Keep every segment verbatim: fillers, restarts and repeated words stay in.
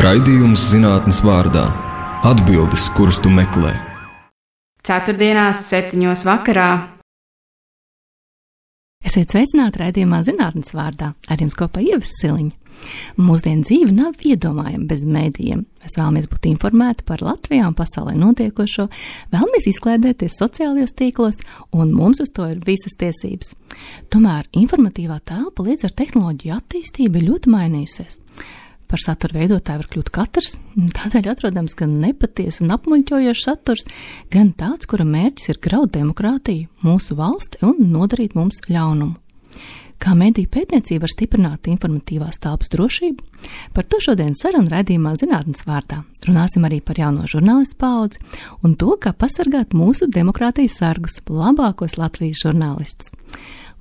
Raidījums zinātnes vārdā. Atbildes, kuras tu meklē. Ceturtdienās, septiņos vakarā. Esiet sveicināti raidījumā zinātnes vārdā. Ar jums kopā Ieva Siliņa. Mūsdienu dzīve nav iedomājama bez mēdījiem. Mēs vēlamies būt informēti par Latvijā un pasaulē notiekošo, vēlamies izklaidēties sociālajos tīklos, un mums uz to ir visas tiesības. Tomēr informatīvā telpa līdz ar tehnoloģiju attīstību ir ļoti mainījusies. Par satura veidotāju var kļūt katrs, tādēļ atrodams gan nepatiesa un apmuļķojošs saturs, gan tāds, kura mērķis ir graut demokrātiju, mūsu valsti un nodarīt mums ļaunumu. Kā mediju pētniecība var stiprināt informatīvās telpas drošību? Par to šodien saruna raidījumā zinātnes vārdā. Runāsim arī par jauno žurnālistu paudzi un to, kā pasargāt mūsu demokrātijas sargus, labākos Latvijas žurnālistus.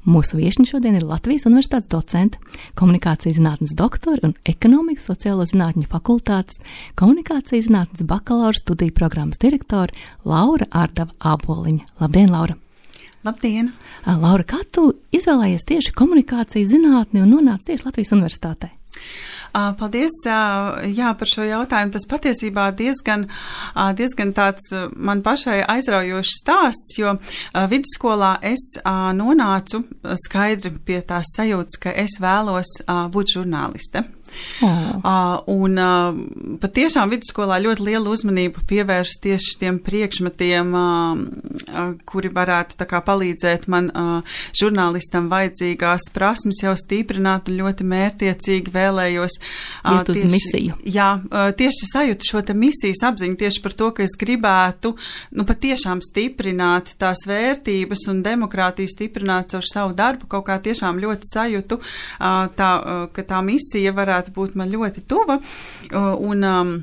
Mūsu viešņi šodien ir Latvijas Universitātes docente, komunikācijas zinātnes doktori un ekonomikas sociālo zinātņu fakultātes komunikācijas zinātnes bakalaura studiju programmas direktori Laura Ārdava Āboliņa. Labdien, Laura! Labdien! Laura, kā tu izvēlējies tieši komunikācijas zinātni un nonāci tieši Latvijas Universitātē? Paldies, jā, par šo jautājumu. Tas patiesībā diezgan, diezgan tāds man pašai aizraujošs stāsts, jo vidusskolā es nonācu skaidri pie tās sajūtas, ka es vēlos būt žurnāliste. Oh. Uh, un uh, patiešām vidusskolā ļoti lielu uzmanību pievērst tieši tiem priekšmetiem, uh, uh, kuri varētu tā kā palīdzēt man uh, žurnālistam vajadzīgās prasmes jau stiprināt un ļoti mērtiecīgi vēlējos. Uh, Iet uz tieši, misiju. Jā, uh, tieši sajūtu šo te misijas apziņu tieši par to, ka es gribētu, nu patiešām stiprināt tās vērtības un demokrātiju stiprināt caur savu darbu, kaut kā tiešām ļoti sajūtu, uh, tā, uh, ka tā misija varētu būt man ļoti tuva, un um,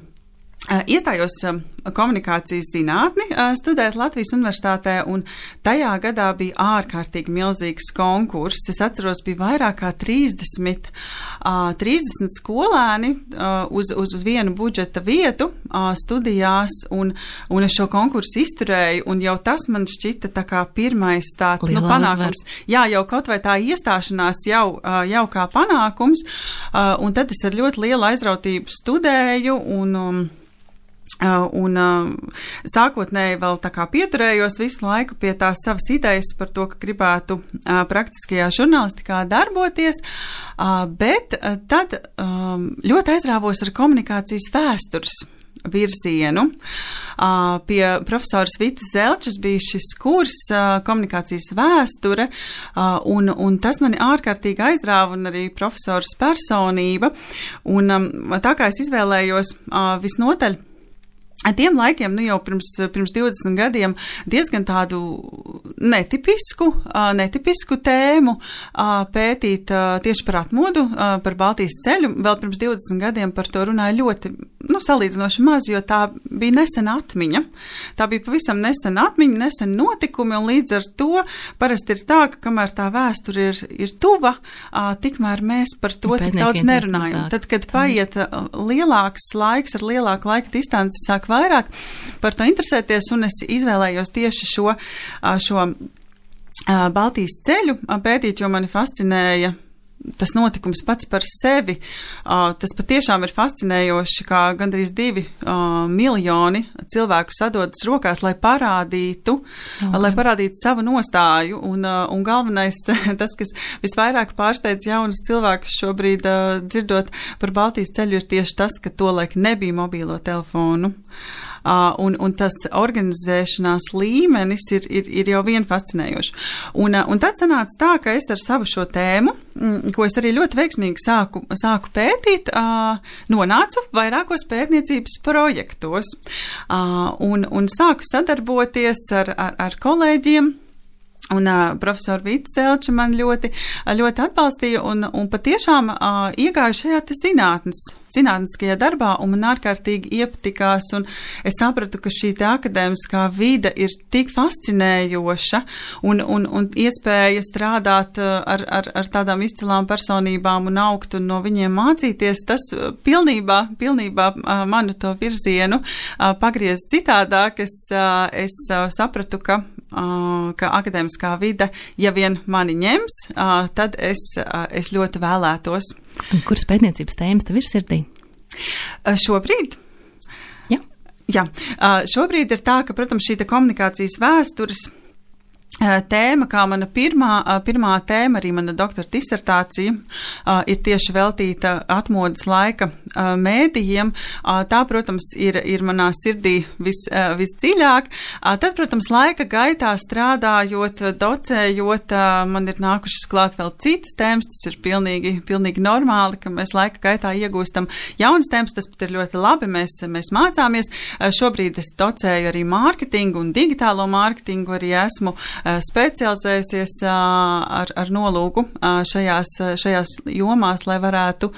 iestājos um, komunikācijas zinātni uh, studēt Latvijas Universitātē, un tajā gadā bija ārkārtīgi milzīgs konkurss. Es atceros, bija vairāk kā trīsdesmit, uh, trīsdesmit skolēni uh, uz, uz vienu budžeta vietu uh, studijās, un, un es šo konkursu izturēju, un jau tas man šķita tā kā pirmais tāds nu, panākums. Jā, jau kaut vai tā iestāšanās jau, uh, jau kā panākums, uh, un tad es ar ļoti lielu aizrautību studēju, un um, Uh, un uh, sākotnēji vēl tā kā pieturējos visu laiku pie tās savas idejas par to, ka gribētu uh, praktiskajā žurnālistikā darboties, uh, bet uh, tad um, ļoti aizrāvos ar komunikācijas vēstures virzienu. Uh, pie profesoras Vitas Zelčas bija šis kurs uh, komunikācijas vēsture, uh, un, un tas mani ārkārtīgi aizrāva, un arī profesoras personība. Un um, tā kā es izvēlējos uh, visnotaļ tiem laikiem, nu jau pirms, pirms divdesmit gadiem, diezgan tādu netipisku, netipisku tēmu pētīt tieši par atmodu, par Baltijas ceļu. Vēl pirms divdesmit gadiem par to runāja ļoti, nu, salīdzinoši maz, jo tā bija nesena atmiņa. Tā bija pavisam nesena atmiņa, nesena notikumi, un līdz ar to parasti ir tā, ka kamēr tā vēsture ir, ir tuva, tikmēr mēs par to tik daudz nerunājam. Tad, kad paiet lielāks laiks ar lielāku laika distanci, sāk vairāk par to interesēties, un es izvēlējos tieši šo, šo Baltijas ceļu pētīt, jo mani fascinēja tas notikums pats par sevi. Tas patiešām ir fascinējoši, kā gandrīz divi miljoni cilvēku sadodas rokās, lai parādītu, okay. lai parādītu savu nostāju. Un, un galvenais, tas, kas visvairāk pārsteidz jaunus cilvēkus šobrīd dzirdot par Baltijas ceļu, ir tieši tas, ka tolaik nebija mobīlo telefonu. Uh, un, un tas organizēšanās līmenis ir, ir, ir jau vien fascinējoši. Un, uh, un tad sanāca tā, ka es ar savu šo tēmu, mm, ko es arī ļoti veiksmīgi sāku, sāku pētīt, uh, nonācu vairākos pētniecības projektos uh, un, un sāku sadarboties ar, ar, ar kolēģiem. Un uh, profesora Vita Zelča man ļoti, ļoti atbalstīja un, un patiešām uh, iegāju šajā te zinātnes, zinātniskajā darbā, un man ārkārtīgi iepatikās, un es sapratu, ka šī te akadēmiskā vide ir tik fascinējoša, un, un, un iespēja strādāt uh, ar, ar, ar tādām izcilām personībām un augt un no viņiem mācīties, tas pilnībā, pilnībā uh, manu to virzienu uh, pagriez citādāk. Es, uh, es uh, sapratu, ka, uh, ka akadēmiskā vide, ja vien mani ņems, uh, tad es, uh, es ļoti vēlētos. Un kuras pētniecības tēmas tev ir sirdī? Šobrīd? Jā. Jā. Šobrīd ir tā, ka, protams, šī komunikācijas vēstures tēma, kā mana pirmā, pirmā tēma, arī mana doktora disertācija, ir tieši veltīta atmodas laika mēdījiem. Tā, protams, ir, ir manā sirdī vis, visdziļāk. Tad, protams, laika gaitā strādājot, docējot, man ir nākušas klāt vēl citas tēmas. Tas ir pilnīgi, pilnīgi normāli, ka mēs laika gaitā iegūstam jaunas tēmas. Tas pat ir ļoti labi, mēs, mēs mācāmies. Šobrīd es docēju arī mārketingu un digitālo mārketingu, arī esmu specializējusies ar, ar nolūku šajās, šajās jomās, lai varētu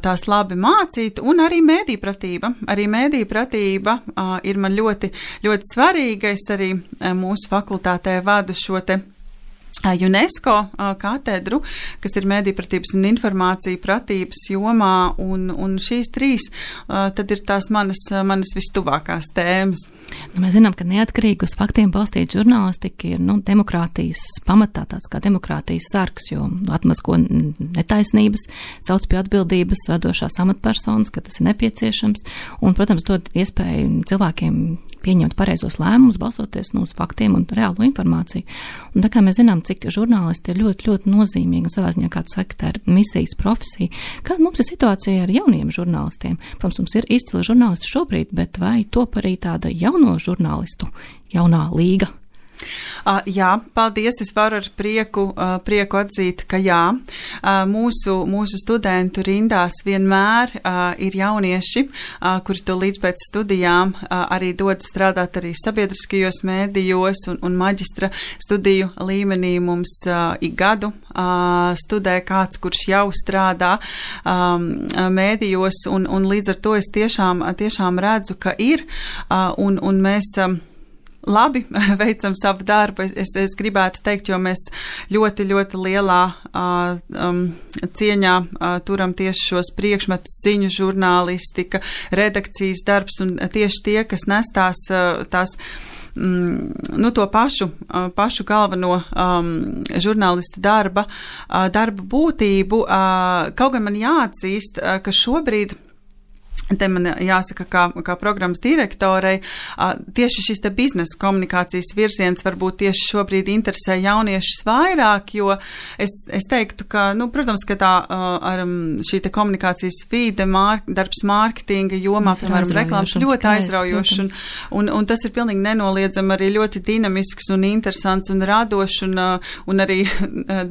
tās labi mācīt, un arī mēdīpratība. Arī mēdīpratība ir man ļoti, ļoti svarīga. Es arī mūsu fakultātē vadu šo te UNESCO katedru, kas ir mēdīpratības un informācija pratības jomā, un, un šīs trīs tad ir tās manas, manas vistuvākās tēmas. Nu, mēs zinām, ka neatkarīgi uz faktiem balstīta žurnālistika ir nu, demokrātijas pamatā, tāds kā demokrātijas sargs, jo atmazgo netaisnības, sauc pie atbildības vadošās amatpersonas, ka tas ir nepieciešams, un, protams, dod iespēju cilvēkiem pieņemt pareizos lēmumus, balstoties nu, uz faktiem un reālo informāciju. Un tā kā mēs zinām, cik žurnālisti ir ļoti, ļoti nozīmīgi, un savā ziņā, kā tu saki, tā ir misijas profesija. Kāda mums ir situācija ar jauniem žurnālistiem? Protams, mums ir izcili žurnālisti šobrīd, bet vai top arī tāda jauno žurnālistu, jaunā līga? Uh, jā, paldies. Es varu ar prieku, uh, prieku atzīt, ka jā, uh, mūsu, mūsu studentu rindās vienmēr uh, ir jaunieši, uh, kuri to līdz pēc studijām uh, arī dod strādāt arī sabiedriskajos mēdījos un, un maģistra studiju līmenī. Mums uh, ik gadu uh, studē kāds, kurš jau strādā um, mēdījos, un, un līdz ar to es tiešām, tiešām redzu, ka ir, uh, un, un mēs um, labi veicam savu darbu, es, es gribētu teikt, jo mēs ļoti, ļoti lielā uh, um, cieņā uh, turam tieši šos priekšmetus, ziņu žurnālistika, redakcijas darbs, un tieši tie, kas nes tās, uh, tās mm, nu, to pašu, uh, pašu galveno um, žurnālista darba, uh, darba būtību. Uh, kaut gan man jāatzīst, uh, ka šobrīd te man jāsaka, kā, kā programmas direktorei, tieši šis te biznesa komunikācijas virziens varbūt tieši šobrīd interesē jauniešus vairāk, jo es, es teiktu, ka, nu, protams, ka tā ar šī te komunikācijas vide, mār, darbs mārketinga jomā, piemēram, reklāmas ļoti aizraujoši, un, un, un tas ir pilnīgi nenoliedzami arī ļoti dinamisks un interesants un radošs, un, un arī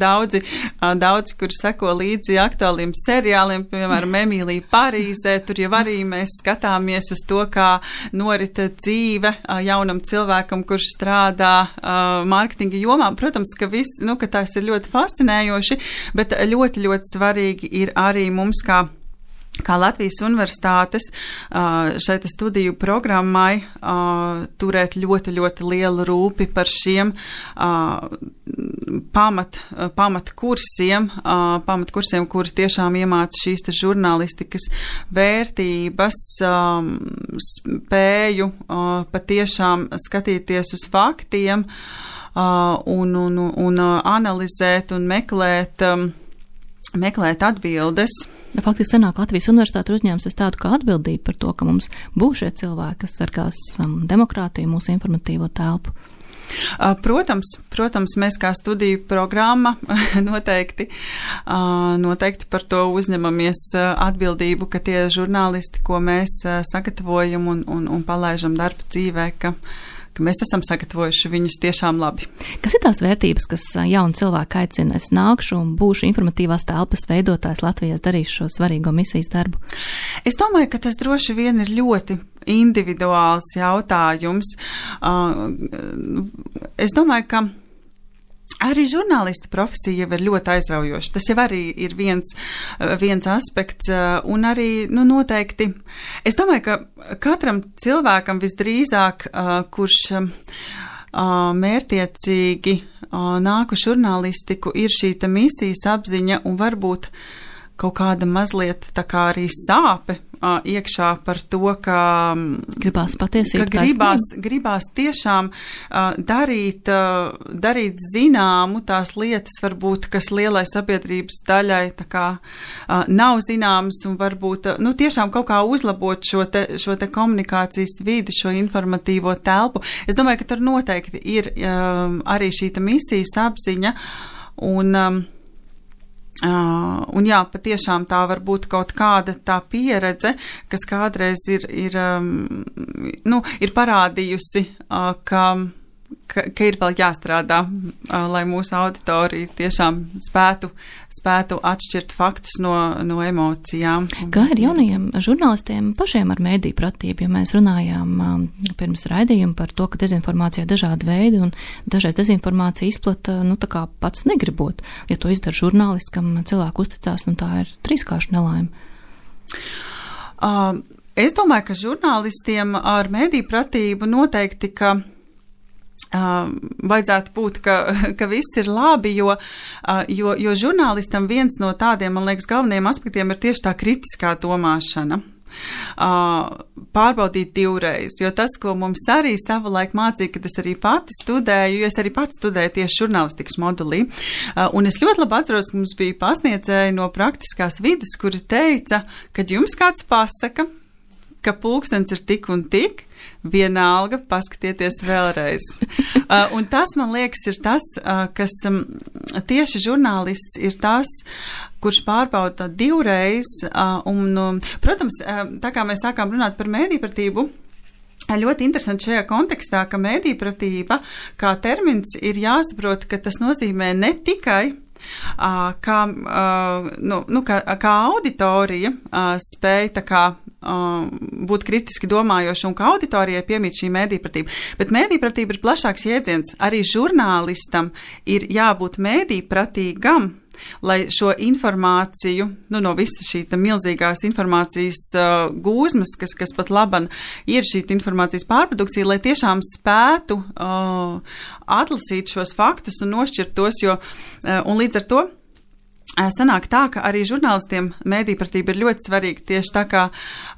daudzi, daudzi, kuri seko līdzi aktuāliem seriāliem, piemēram, Emīlija Parīzē, tur jau arī mēs skatāmies uz to, kā norita dzīve jaunam cilvēkam, kurš strādā uh, mārketinga jomā. Protams, ka, viss, nu, ka tās ir ļoti fascinējoši, bet ļoti, ļoti svarīgi ir arī mums kā kā Latvijas universitātes šai studiju programmai turēt ļoti, ļoti lielu rūpi par šiem pamat, pamat kursiem, pamat kursiem, kuri tiešām iemāca šīs te žurnālistikas vērtības, spēju patiešām skatīties uz faktiem un, un, un analizēt un meklēt meklēt atbildes. Faktiski senāk Latvijas universitāte uzņēmusies tādu kā atbildību par to, ka mums būs šie cilvēki, kas sargās um, demokrātiju, mūsu informatīvo telpu. Protams, protams, mēs kā studiju programma noteikti, noteikti par to uzņemamies atbildību, ka tie žurnālisti, ko mēs sagatavojam un, un, un palaižam darba dzīvē, ka ka mēs esam sagatavojuši viņus tiešām labi. Kas ir tās vērtības, kas jauni cilvēki aicina? Es nākšu un būšu informatīvās telpas veidotājs Latvijas, darīšu šo svarīgo misijas darbu. Es domāju, ka tas droši vien ir ļoti individuāls jautājums. Es domāju, ka arī žurnālista profesija jau ir ļoti aizraujoša. Tas jau arī ir viens, viens aspekts, un arī, nu, noteikti, es domāju, ka katram cilvēkam visdrīzāk, kurš mērtiecīgi nāk uz žurnālistiku, ir šī misijas apziņa un varbūt kaut kāda mazliet tā kā arī sāpe uh, iekšā par to, ka gribās patiesību, ka gribās, gribās tiešām uh, darīt, uh, darīt zināmu tās lietas, varbūt, kas lielai sabiedrības daļai tā kā uh, nav zināmas un varbūt, uh, nu, tiešām kaut kā uzlabot šo te, šo te komunikācijas vidi, šo informatīvo telpu. Es domāju, ka tur noteikti ir um, arī šī misijas apziņa un um, Uh, un jā, patiešām tā var būt kaut kāda tā pieredze, kas kādreiz ir, ir, um, nu, ir parādījusi, uh, ka, ka, ka ir vēl jāstrādā, uh, lai mūsu auditorija tiešām spētu, spētu atšķirt faktus no, no emocijām. Kā ir jaunajiem žurnālistiem pašiem ar mēdīju pratību, jo mēs runājām um, pirms raidījuma par to, ka dezinformācija ir dažādi veidi un dažreiz dezinformācija izplata, nu, tā kā pats negribot. Ja to izdara žurnālists, kam cilvēku uzticās, nu, tā ir trīskārša nelaime. Uh, es domāju, ka žurnālistiem ar mēdīju pratību noteikti, ka Uh, vajadzētu būt, ka, ka viss ir labi, jo, uh, jo, jo žurnālistam viens no tādiem, man liekas, galvenajiem aspektiem ir tieši tā kritiskā domāšana. Uh, pārbaudīt divreiz, jo tas, ko mums arī savulaik mācīja, kad es arī pati studēju, jo es arī pati studēju tieši žurnālistikas modulī, uh, un es ļoti labi atceros, ka mums bija pasniedzēji no praktiskās vides, kuri teica, kad jums kāds pasaka, ka pulkstens ir tik un tik, vienalga, paskatieties vēlreiz. uh, un tas, man liekas, ir tas, uh, kas um, tieši žurnālists ir tas, kurš pārbauda divreiz. Uh, un, um, protams, uh, tā kā mēs sākām runāt par mēdīpratību, ļoti interesanti šajā kontekstā, ka mēdīpratība kā termins ir jāsaprot, ka tas nozīmē ne tikai Uh, kā, uh, nu, nu, kā, kā auditorija uh, spēja tā kā uh, būt kritiski domājoša un kā auditorijai piemīt šī mēdīpratība. Bet mēdīpratība ir plašāks jēdziens. Arī žurnālistam ir jābūt mēdīpratīgam, lai šo informāciju, nu, no visas šī milzīgās informācijas uh, gūzmas, kas, kas pat laban ir šī informācijas pārprodukcija, lai tiešām spētu uh, atlasīt šos faktus un nošķirt tos, jo, uh, un līdz ar to sanāk tā, ka arī žurnālistiem mēdīpratība ir ļoti svarīga, tieši tā kā,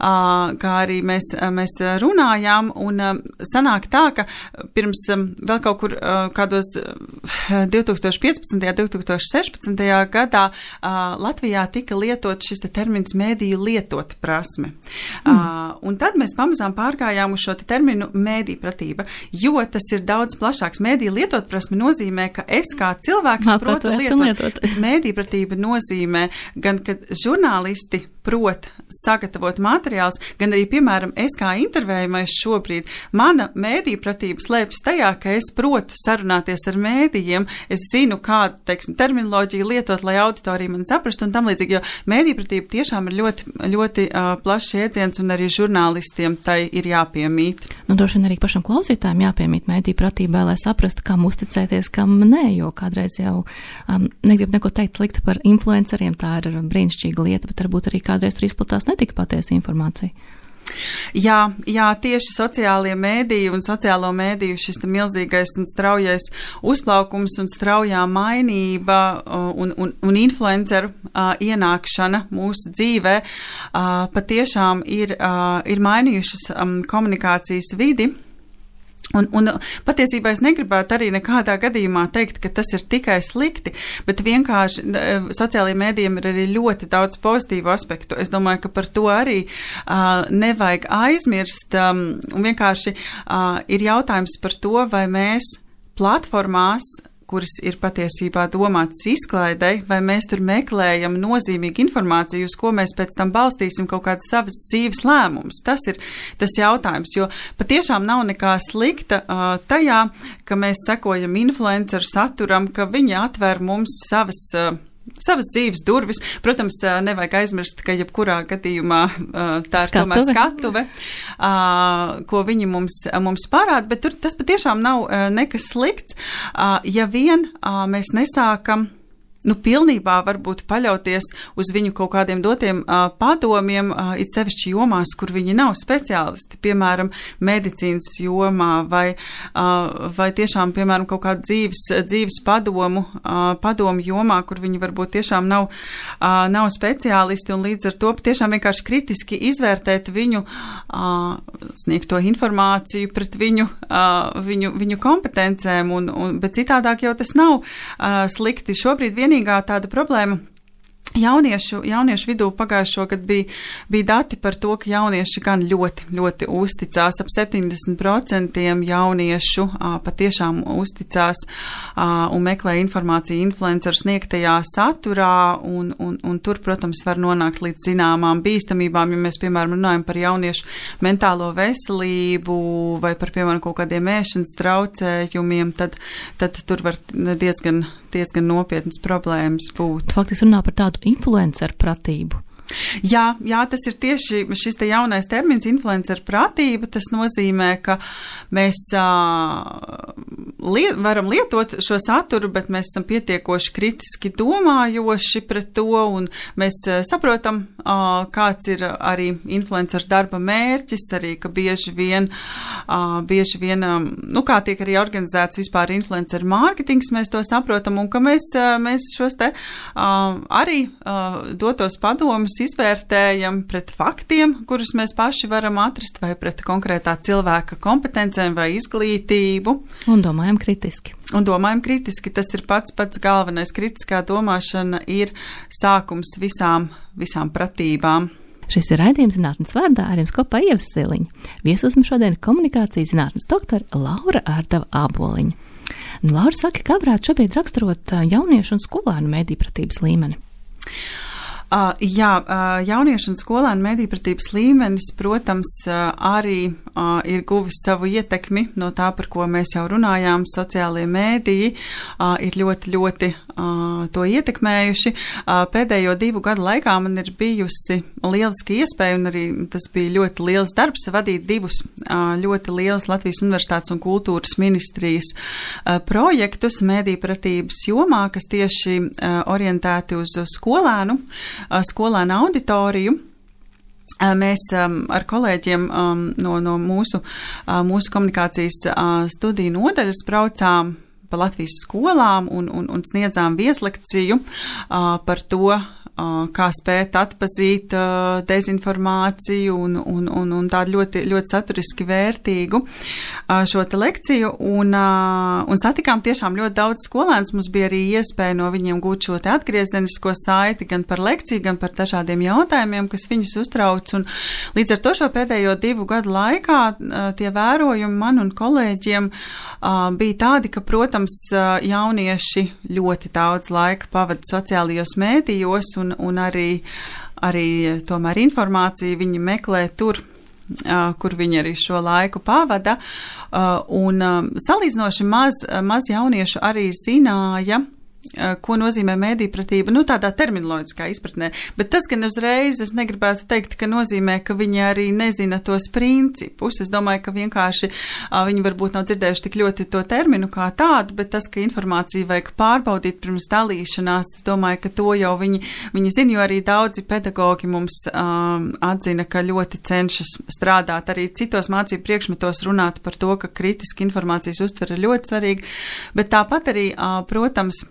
kā arī mēs, mēs runājām, un sanāk tā, ka pirms vēl kaut kur kādos divi tūkstoši piecpadsmitajā, divi tūkstoši sešpadsmitajā gadā Latvijā tika lietot šis te termins mēdīju lietot prasme. Mm. Un tad mēs pamazām pārgājām uz šo te terminu mēdīpratība, jo tas ir daudz plašāks. Mēdīju lietot prasme nozīmē, ka es kā cilvēks protu lietot, lietot. Bet mēdīpratība nozīmē gan, kad žurnālisti prot sagatavot materiālus, gan arī, piemēram, es kā intervējumais šobrīd, mana mēdīpratība slēpjas tajā, ka es protu sarunāties ar mēdījiem, es zinu, kādu, teiksim, terminoloģiju lietot, lai auditorija man saprastu un tam līdzīgi, jo mēdīpratība tiešām ir ļoti, ļoti uh, plašs jēdziens un arī žurnālistiem tai ir jāpiemīt. Nu, droši vien arī pašam klausītājiem jāpiemīt mēdīpratībai, lai saprastu, kam uzticēties, kam nē, jo kādreiz jau um, negrib neko teikt slikti par influenceriem, tā ir brīnišķīga lieta, bet varbūt arī kādreiz tur izplatās netika patiesa informācija. Jā, jā, tieši sociālie mēdīji un sociālo mēdīju šis milzīgais un straujais uzplaukums un straujā mainība un, un, un influenceru uh, ienākšana mūsu dzīvē uh, patiešām ir, uh, ir mainījušas um, komunikācijas vidi. Un, un patiesībā es negribētu arī nekādā gadījumā teikt, ka tas ir tikai slikti, bet vienkārši sociālajiem mēdījiem ir arī ļoti daudz pozitīvu aspektu. Es domāju, ka par to arī uh, nevajag aizmirst, um, un vienkārši uh, ir jautājums par to, vai mēs platformās, kuras ir patiesībā domātas izklaidei, vai mēs tur meklējam nozīmīgu informāciju, uz ko mēs pēc tam balstīsim kaut kādas savas dzīves lēmumus. Tas ir tas jautājums, jo patiešām nav nekā slikta uh, tajā, ka mēs sekojam influenceru saturam, ka viņi atver mums savas uh, savas dzīves durvis. Protams, nevajag aizmirst, ka jebkurā gadījumā tā ir skatuve. Tomēr skatuve, ko viņi mums, mums parāda, bet tur tas patiešām nav nekas slikts, ja vien mēs nesākam nu, pilnībā varbūt paļauties uz viņu kaut kādiem dotiem uh, padomiem, uh, it sevišķi jomās, kur viņi nav speciālisti, piemēram, medicīnas jomā vai, uh, vai tiešām, piemēram, kaut kādu dzīves, dzīves padomu, uh, padomu jomā, kur viņi varbūt tiešām nav, uh, nav speciālisti, un līdz ar to tiešām vienkārši kritiski izvērtēt viņu, uh, sniegt to informāciju pret viņu, uh, viņu, viņu kompetencēm, un, un, bet citādāk jau tas nav uh, slikti. Šobrīd vien vienīgā tāda problēma jauniešu, jauniešu vidū pagājušo gadu bija, bija dati par to, ka jaunieši gan ļoti, ļoti uzticās. Ap septiņdesmit procenti jauniešu a, patiešām uzticās a, un meklē informāciju influenceru sniegtajā saturā, un, un, un tur, protams, var nonākt līdz zināmām bīstamībām, ja mēs, piemēram, runājam par jauniešu mentālo veselību vai par, piemēram, kaut kādiem ēšanas traucējumiem, tad, tad tur var diezgan diezgan nopietnas problēmas būt. Faktiski runā par tādu influenceru pratību. Jā, jā, tas ir tieši šis te jaunais termins influenceru pratība. Tas nozīmē, ka mēs uh, liet, varam lietot šo saturu, bet mēs esam pietiekoši kritiski domājoši pret to, un mēs uh, saprotam, uh, kāds ir arī influenceru darba mērķis, arī, ka bieži vien, uh, bieži vien um, nu, kā tiek arī organizēts vispār influenceru mārketings, mēs to saprotam, un ka mēs, uh, mēs šos te uh, arī uh, dotos padomus izvērtējam pret faktiem, kurus mēs paši varam atrast, vai pret konkrētā cilvēka kompetencēm vai izglītību. Un domājam kritiski. Un domājam kritiski. Tas ir pats pats galvenais. Kritiskā domāšana ir sākums visām, visām pratībām. Šis ir raidījums Zinātnes vārdā, ar jums kopā Ieva Siliņa. Viesos mums šodien komunikācijas zinātnes doktora Laura Ārdava Āboliņa. Nu, Laura saka, kā varētu šobrīd raksturot jauniešu un skolēnu medijpratības līmeni? Uh, jā, uh, jauniešu un skolēnu medijpratības līmenis, protams, uh, arī uh, ir guvis savu ietekmi no tā, par ko mēs jau runājām. Sociālie mēdīji uh, ir ļoti, ļoti uh, to ietekmējuši. Uh, pēdējo divu gadu laikā man ir bijusi lieliski iespēja, un arī tas bija ļoti liels darbs, vadīt divus uh, ļoti lielus Latvijas Universitātes un kultūras ministrijas uh, projektus medijpratības jomā, kas tieši uh, orientēti uz skolēnu, skolēnu auditoriju. Mēs um, ar kolēģiem um, no, no mūsu, uh, mūsu komunikācijas uh, studiju nodaļas braucām pa Latvijas skolām un, un, un sniedzām vieslekciju uh, par to, uh, kā spēt atpazīt uh, dezinformāciju un, un, un, un tādu ļoti, ļoti saturiski vērtīgu uh, šo te lekciju. Un, uh, un satikām tiešām ļoti daudz skolēnus. Mums bija arī iespēja no viņiem gūt šo te atgriezenisko saiti gan par lekciju, gan par dažādiem jautājumiem, kas viņus uztrauc. Un līdz ar to šo pēdējo divu gadu laikā uh, tie vērojumi man un kolēģiem uh, bija tādi, ka, protams, uh, jaunieši ļoti daudz laika pavada sociālajos mēdījos, un, un arī, arī tomēr informāciju viņi meklē tur, uh, kur viņi arī šo laiku pavada. Uh, un uh, salīdzinoši maz, maz jauniešu arī zināja, ko nozīmē medijpratība, nu tādā terminoloģiskā izpratnē, bet tas gan uzreiz es negribētu teikt, ka nozīmē, ka viņi arī nezina tos principus. Es domāju, ka vienkārši a, viņi varbūt nav dzirdējuši tik ļoti to terminu kā tādu, bet tas, ka informāciju vajag pārbaudīt pirms dalīšanās, es domāju, ka to jau viņi, viņi zina, jo arī daudzi pedagogi mums um, atzina, ka ļoti cenšas strādāt arī citos mācību priekšmetos runāt par to, ka kritiski informācijas uztvere ir ļoti svarīga, bet tāpat arī, uh, protams,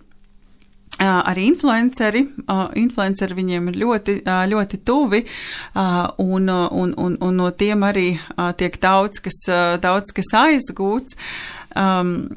Uh, arī influenceri, uh, influenceri viņiem ir ļoti, uh, ļoti tuvi, uh, un, un, un, un no tiem arī uh, tiek daudz, kas, uh, daudz, kas aizgūts. Um,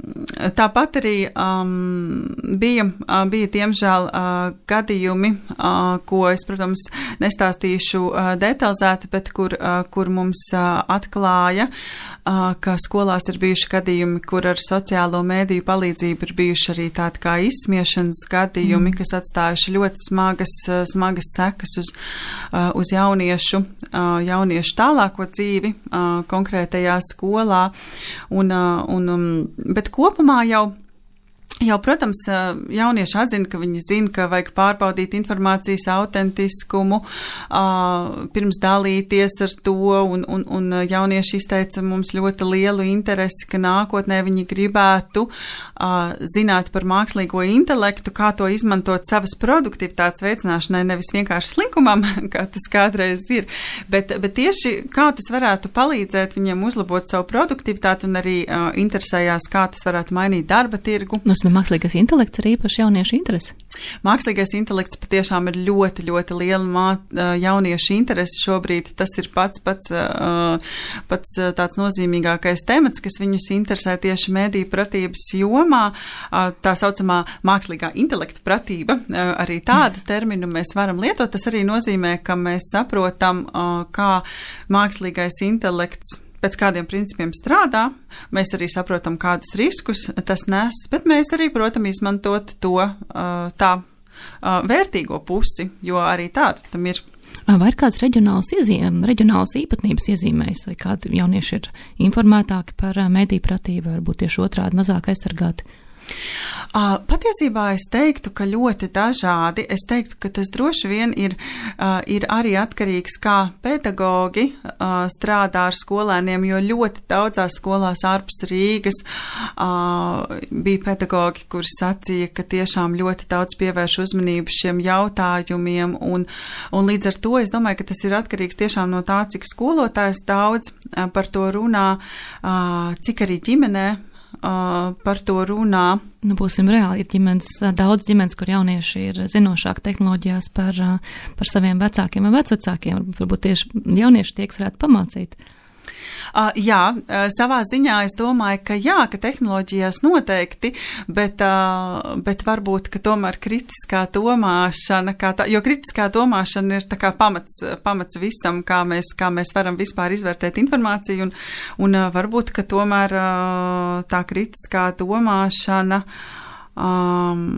tāpat arī um, bija, uh, bija diemžēl uh, gadījumi, uh, ko es, protams, nestāstīšu uh, detalizēti, bet kur, uh, kur mums uh, atklāja, uh, ka skolās ir bijuši gadījumi, kur ar sociālo mēdīju palīdzību ir bijuši arī tādi kā izsmiešanas gadījumi, mm. kas atstājuši ļoti smagas, uh, smagas sekas uz, uh, uz jauniešu, uh, jauniešu tālāko dzīvi uh, konkrētajā skolā. Un, uh, un um, bet kopumā jau Jau, protams, jaunieši atzina, ka viņi zina, ka vajag pārbaudīt informācijas autentiskumu, pirms dalīties ar to, un, un, un jaunieši izteica mums ļoti lielu interesi, ka nākotnē viņi gribētu zināt par mākslīgo intelektu, kā to izmantot savas produktivitātes veicināšanai, nevis vienkārši slinkumam, kā tas kādreiz ir, bet, bet tieši kā tas varētu palīdzēt viņiem uzlabot savu produktivitāti un arī interesējās, kā tas varētu mainīt darba tirgu. Mākslīgais intelekts ir īpaši jauniešu interesi. Mākslīgais intelekts patiešām ir ļoti, ļoti liela mā, jauniešu interesi šobrīd. Tas ir pats, pats, pats tāds nozīmīgākais temats, kas viņus interesē tieši mediju pratības jomā. Tā saucamā mākslīgā intelekta pratība, arī tādu terminu mēs varam lietot. Tas arī nozīmē, ka mēs saprotam, kā mākslīgais intelekts pēc kādiem principiem strādā, mēs arī saprotam, kādus riskus tas nes, bet mēs arī, protams, izmantot to tā vērtīgo pusi, jo arī tāda tam ir. Vai ir kāds reģionāls, iezīm, reģionāls īpatnības iezīmēs, vai kādi jaunieši ir informētāki par mediju pratību, varbūt tieši otrādi mazāk aizsargāti? Uh, patiesībā es teiktu, ka ļoti dažādi. Es teiktu, ka tas droši vien ir, uh, ir arī atkarīgs, kā pedagogi uh, strādā ar skolēniem, jo ļoti daudzās skolās ārpus Rīgas uh, bija pedagogi, kuri sacīja, ka tiešām ļoti daudz pievērš uzmanību šiem jautājumiem, un, un līdz ar to es domāju, ka tas ir atkarīgs tiešām no tā, cik skolotājs daudz uh, par to runā, uh, cik arī ģimenē Uh, par to runā. Nu, būsim reāli, ir ģimenes, daudz ģimenes, kur jaunieši ir zinošāki tehnoloģijās par, par saviem vecākiem un vecvecākiem. Varbūt tieši jaunieši tie, kas varētu pamācīt. Uh, jā, uh, savā ziņā es domāju, ka jā, ka tehnoloģijās noteikti, bet, uh, bet varbūt, ka tomēr kritiskā domāšana, kā tā, jo kritiskā domāšana ir tā kā pamats, pamats visam, kā mēs, kā mēs varam vispār izvērtēt informāciju, un, un uh, varbūt, ka tomēr uh, tā kritiskā domāšana um,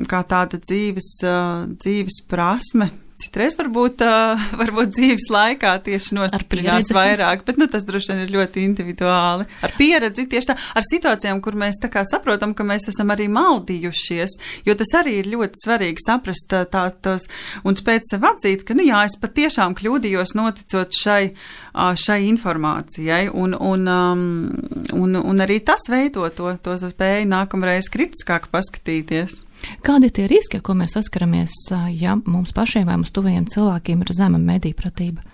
kā tāda dzīves, uh, dzīves prasme, citreiz varbūt, uh, varbūt dzīves laikā tieši nostiprinās vairāk, bet nu, tas droši vien ir ļoti individuāli. Ar pieredzi tieši tā, ar situācijām, kur mēs tā kā saprotam, ka mēs esam arī maldījušies, jo tas arī ir ļoti svarīgi saprast tā, tos un spēt sev atzīt, ka, nu jā, es patiešām kļūdījos noticot šai, šai informācijai, un, un, um, un, un arī tas veido to, to spēju nākamreiz kritiskāk paskatīties. Kādi ir tie riski, ar ko mēs saskaramies, ja mums pašiem vai mums tuvajiem cilvēkiem ir zema mediju pratība?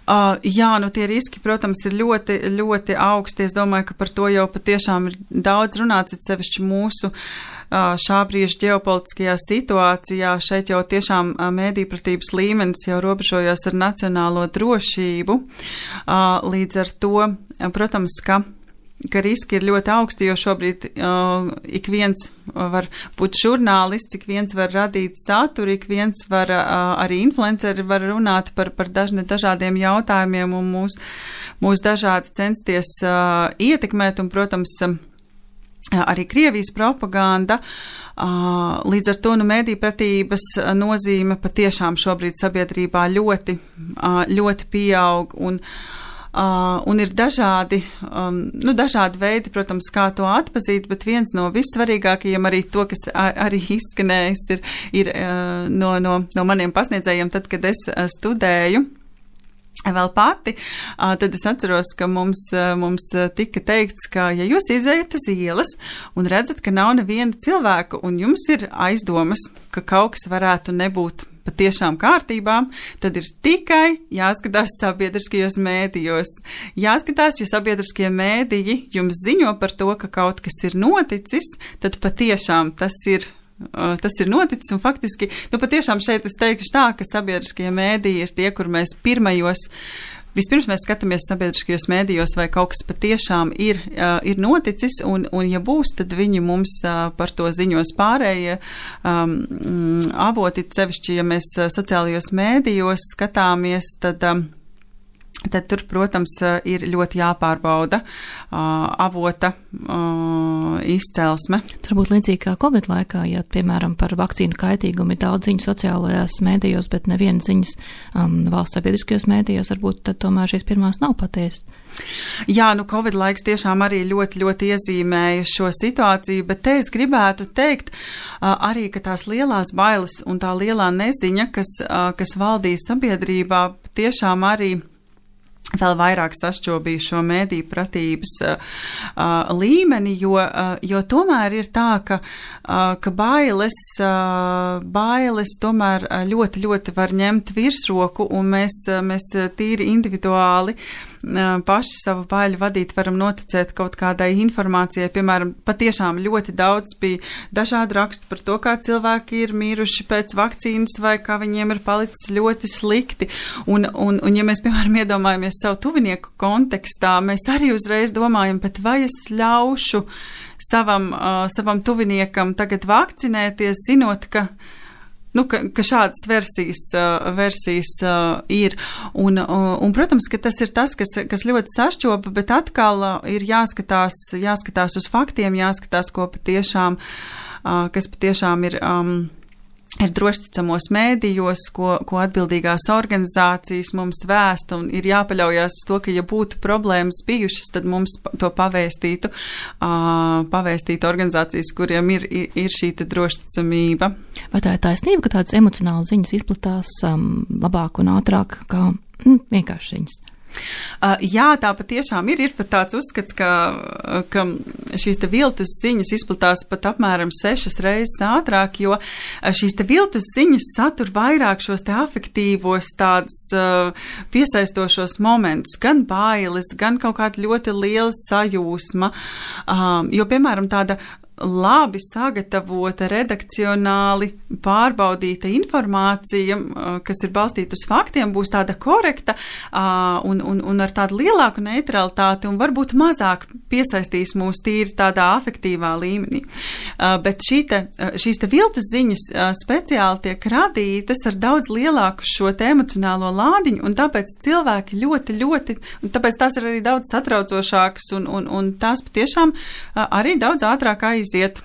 Uh, jā, nu tie riski, protams, ir ļoti, ļoti augsti. Es domāju, ka par to jau patiešām ir daudz runāts, it sevišķi mūsu uh, šā brīža ģeopolitiskajā situācijā. Šeit jau tiešām uh, mediju pratības līmenis jau robežojas ar nacionālo drošību. Uh, līdz ar to, uh, protams, ka ka riski ir ļoti augsti, jo šobrīd uh, ik viens var būt žurnālists, ik viens var radīt saturu, ik viens var, uh, arī influenceri var runāt par, par dažne, dažādiem jautājumiem un mūs, mūs dažādi censties uh, ietekmēt, un, protams, uh, arī Krievijas propaganda. Uh, līdz ar to, nu, mediju pratības nozīme patiešām šobrīd sabiedrībā ļoti, uh, ļoti pieaug, un Uh, un ir dažādi, um, nu, dažādi veidi, protams, kā to atpazīt, bet viens no vissvarīgākajiem, arī to, kas ar, arī izskanējis, ir, ir uh, no, no, no maniem pasniedzējiem, tad, kad es uh, studēju vēl pati, uh, tad es atceros, ka mums, uh, mums tika teikts, ka, ja jūs izējat uz ielas un redzat, ka nav neviena cilvēka, un jums ir aizdomas, ka kaut kas varētu nebūt patiešām kārtībā, tad ir tikai jāskatās sabiedriskajos mēdījos. Jāskatās, ja sabiedriskie mēdīji jums ziņo par to, ka kaut kas ir noticis, tad patiešām tas ir, uh, tas ir noticis, un faktiski, nu patiešām šeit es teikšu tā, ka sabiedriskie mēdīji ir tie, kur mēs pirmajos Vispirms mēs skatāmies sabiedriskajos mēdījos, vai kaut kas patiešām ir, uh, ir noticis, un, un ja būs, tad viņi mums uh, par to ziņos pārējie um, avoti, sevišķi, ja mēs uh, sociālajos mēdījos skatāmies, tad um, tad tur, protams, ir ļoti jāpārbauda uh, avota uh, izcelsme. Tur būtu līdzīgi kā Covid laikā, ja, piemēram, par vakcīnu kaitīgumu ir daudz ziņu sociālajās mēdījos, bet neviena ziņas um, valsts sabiedriskajos mēdījos, varbūt tad tomēr šīs pirmās nav patiesas. Jā, nu Covid laiks tiešām arī ļoti, ļoti iezīmēja šo situāciju, bet te es gribētu teikt uh, arī, ka tās lielās bailes un tā lielā neziņa, kas, uh, kas valdīja sabiedrībā, tiešām arī vēl vairāk sašķobīja šo mēdīju pratības uh, uh, līmeni, jo, uh, jo tomēr ir tā, ka, uh, ka bailes, uh, bailes tomēr ļoti, ļoti var ņemt virsroku, un mēs, uh, mēs tīri individuāli uh, paši savu baiļu vadīt varam noticēt kaut kādai informācijai. Piemēram, patiešām ļoti daudz bija dažādi raksti par to, kā cilvēki ir miruši pēc vakcīnas vai kā viņiem ir palicis ļoti slikti. Un, un, un ja mēs, piemēram, iedomājamies savu tuvinieku kontekstā, mēs arī uzreiz domājam, bet vai es ļaušu savam, uh, savam tuviniekam tagad vakcinēties, zinot, ka, nu, ka, ka šādas versijas, uh, versijas uh, ir. Un, uh, un, protams, ka tas ir tas, kas, kas ļoti sašķopa, bet atkal uh, ir jāskatās, jāskatās uz faktiem, jāskatās, ko patiešām, uh, kas patiešām ir... Um, ir drošticamos mēdījos, ko, ko atbildīgās organizācijas mums vēsta, un ir jāpaļaujās uz to, ka ja būtu problēmas bijušas, tad mums to pavēstītu, uh, pavēstītu organizācijas, kuriem ir, ir, ir šī drošticamība. Vai tā ir taisnība, ka tādas emocionālas ziņas izplatās um, labāk un ātrāk kā mm, vienkārši ziņas? Uh, jā, tā patiešām ir. Ir pat tāds uzskats, ka, ka šīs te viltus ziņas izplatās pat apmēram sešas reizes ātrāk, jo šīs te viltus ziņas satur vairāk šos te afektīvos tādus uh, piesaistošos momentus, gan bailes, gan kaut kāda ļoti liela sajūsma, um, jo, piemēram, tāda labi sagatavota, redakcionāli pārbaudīta informācija, kas ir balstīta uz faktiem, būs tāda korekta un, un, un ar tādu lielāku neutralitāti un varbūt mazāk piesaistīs mūs tīri tādā afektīvā līmenī. Bet šī te, šīs te viltus ziņas speciāli tiek radītas ar daudz lielāku šo te emocionālo lādiņu, un tāpēc cilvēki ļoti, ļoti, un tāpēc tās ir arī daudz satraucošākas, un, un, un tās patiešām arī daudz ātrāk aiziet iet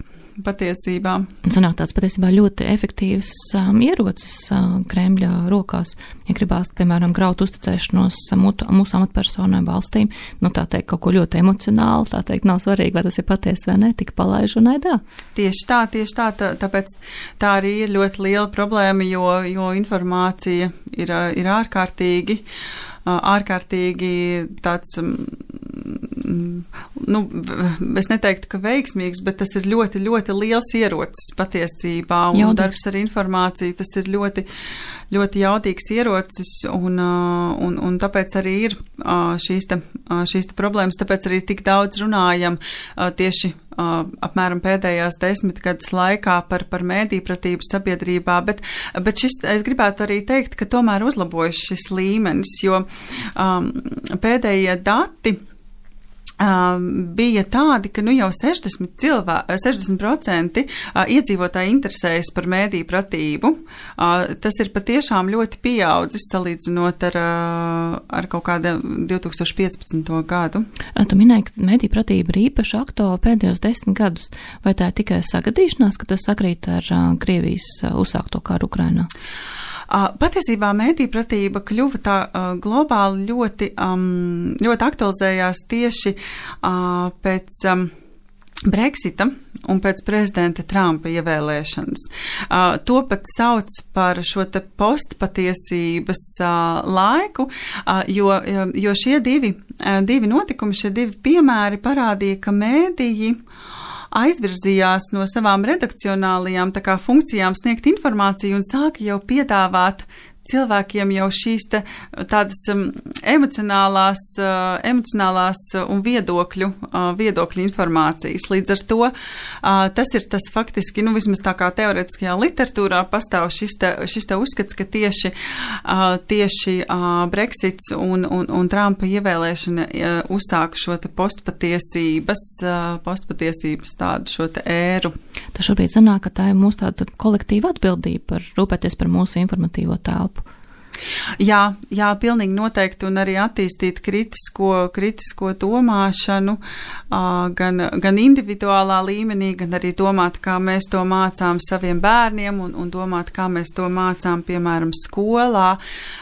patiesībā. Un sanāk tāds patiesībā ļoti efektīvs um, ierocis uh, Kremļa rokās. Ja gribās, piemēram, graut uzticēšanos mūsu, mūsu amatpersonām valstīm, nu tā teikt kaut ko ļoti emocionāli, tā teikt nav svarīgi, vai tas ir patiesi vai ne, tik palaiž un aidā. Tieši tā, tieši tā, tā, tāpēc tā arī ir ļoti liela problēma, jo, jo informācija ir, ir ārkārtīgi, ārkārtīgi tāds, nu, es neteiktu, ka veiksmīgs, bet tas ir ļoti, ļoti liels ierocis patiesībā, un jaudīgs. Darbs ar informāciju, tas ir ļoti, ļoti jaudīgs ierocis, un, un, un tāpēc arī ir šīs te, šīs te problēmas, tāpēc arī tik daudz runājam tieši apmēram pēdējās desmitgades laikā par, par mēdīpratību sabiedrībā, bet, bet šis, es gribētu arī teikt, ka tomēr uzlabojas šis līmenis, jo um, pēdējie dati Um, bija tādi, ka nu jau sešdesmit procenti uh, iedzīvotāji interesējas par mēdīju pratību. Uh, tas ir patiešām ļoti pieaudzis salīdzinot ar, uh, ar kaut kādu divi tūkstoši piecpadsmito gadu. Tu minēji, ka mēdīju pratība ir īpaši aktuāla pēdējos desmit gadus. Vai tā ir tikai sagadīšanās, ka tas sakrīt ar uh, Krievijas uh, uzsākto karu Ukrainā? Uh, patiesībā mēdīpratība kļuva tā uh, globāli ļoti, um, ļoti aktualizējās tieši uh, pēc um, Brexita un pēc prezidenta Trumpa ievēlēšanas. Uh, to pat sauc par šo te postpatiesības uh, laiku, uh, jo, jo šie divi, uh, divi notikumi, šie divi piemēri parādīja, ka mēdīji aizvirzījās no savām redakcionālajām tā kā funkcijām sniegt informāciju un sāka jau piedāvāt cilvēkiem jau šīs te tādas um, emocionālās, uh, emocionālās un viedokļu, uh, viedokļu informācijas. Līdz ar to uh, tas ir tas faktiski, nu vismaz tā kā teoretiskajā literatūrā pastāv šis te, šis te uzskats, ka tieši, uh, tieši uh, Brexits un, un, un Trumpa ievēlēšana uh, uzsāka šo te postpatiesības, uh, postpatiesības tādu šo te ēru. Tas šobrīd sanāk, ka tā ir mūsu tāda kolektīva atbildība par rūpēties par mūsu informatīvo telpu. Jā, jā, pilnīgi noteikti, un arī attīstīt kritisko, kritisko domāšanu, gan, gan individuālā līmenī, gan arī domāt, kā mēs to mācām saviem bērniem, un, un domāt, kā mēs to mācām, piemēram, skolā.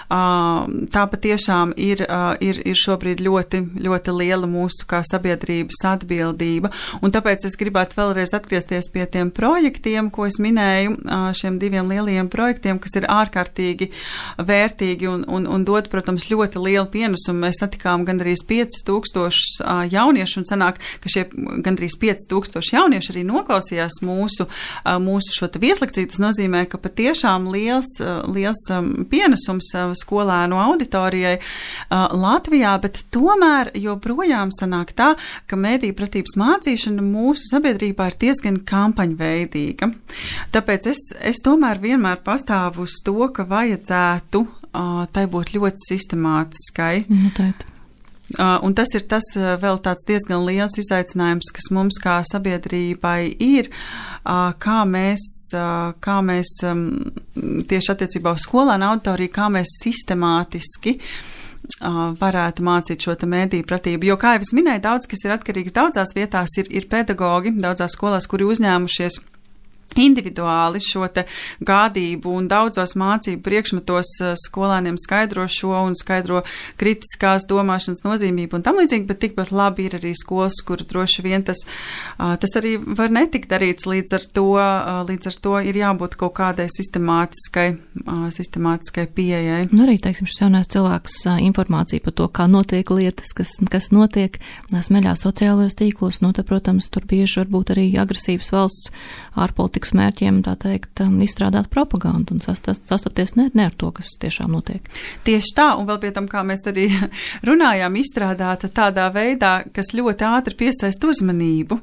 Tā patiešām ir, ir, ir šobrīd ļoti, ļoti liela mūsu kā sabiedrības atbildība, un tāpēc es gribētu vēlreiz atgriezties pie tiem projektiem, ko es minēju, šiem diviem lielajiem projektiem, kas ir ārkārtīgi vērtīgi un, un, un dod, protams, ļoti lielu pienesumu. Mēs satikām gandrīz pieci tūkstošus uh, jauniešu, un sanāk, ka šie gandrīz pieci tūkstoši jaunieši arī noklausījās mūsu, uh, mūsu šo te vieslekciju. Tas nozīmē, ka patiešām liels, uh, liels um, pienesums uh, skolēnu auditorijai uh, Latvijā, bet tomēr joprojām sanāk tā, ka mediju pratības mācīšana mūsu sabiedrībā ir diezgan kampaņveidīga. Tāpēc es, es tomēr vienmēr pastāvu uz to, ka vajadzētu Uh, tai būtu ļoti sistemātiskai. Noteikti. Uh, un tas ir tas uh, vēl tāds diezgan liels izaicinājums, kas mums kā sabiedrībai ir, uh, kā mēs, uh, kā mēs um, tieši attiecībā uz skolēnu auditoriju, kā mēs sistemātiski uh, varētu mācīt šo te mediju pratību. Jo, kā jau es minēju, daudz, kas ir atkarīgs daudzās vietās, ir, ir pedagogi, daudzās skolās, kuri uzņēmušies individuāli šo te gādību, un daudzos mācību priekšmetos skolēniem skaidro šo un skaidro kritiskās domāšanas nozīmību un tam līdzīgi, bet tikpat labi ir arī skolas, kur droši vien tas, tas arī var netikt darīts, līdz ar to, līdz ar to ir jābūt kaut kādai sistemātiskai, sistemātiskai pieejai. Un arī, teiksim, šis jaunais cilvēks informācija par to, kā notiek lietas, kas, kas notiek smeļās sociālajos tīklos, nu, te, protams, tur bieži var būt arī agresīvas valsts ārpolitikas mērķiem, tā teikt, izstrādāt propagandu un sastapties ne, ne ar to, kas tiešām notiek. Tieši tā, un vēl pie tam, kā mēs arī runājām, izstrādāta tādā veidā, kas ļoti ātri piesaist uzmanību.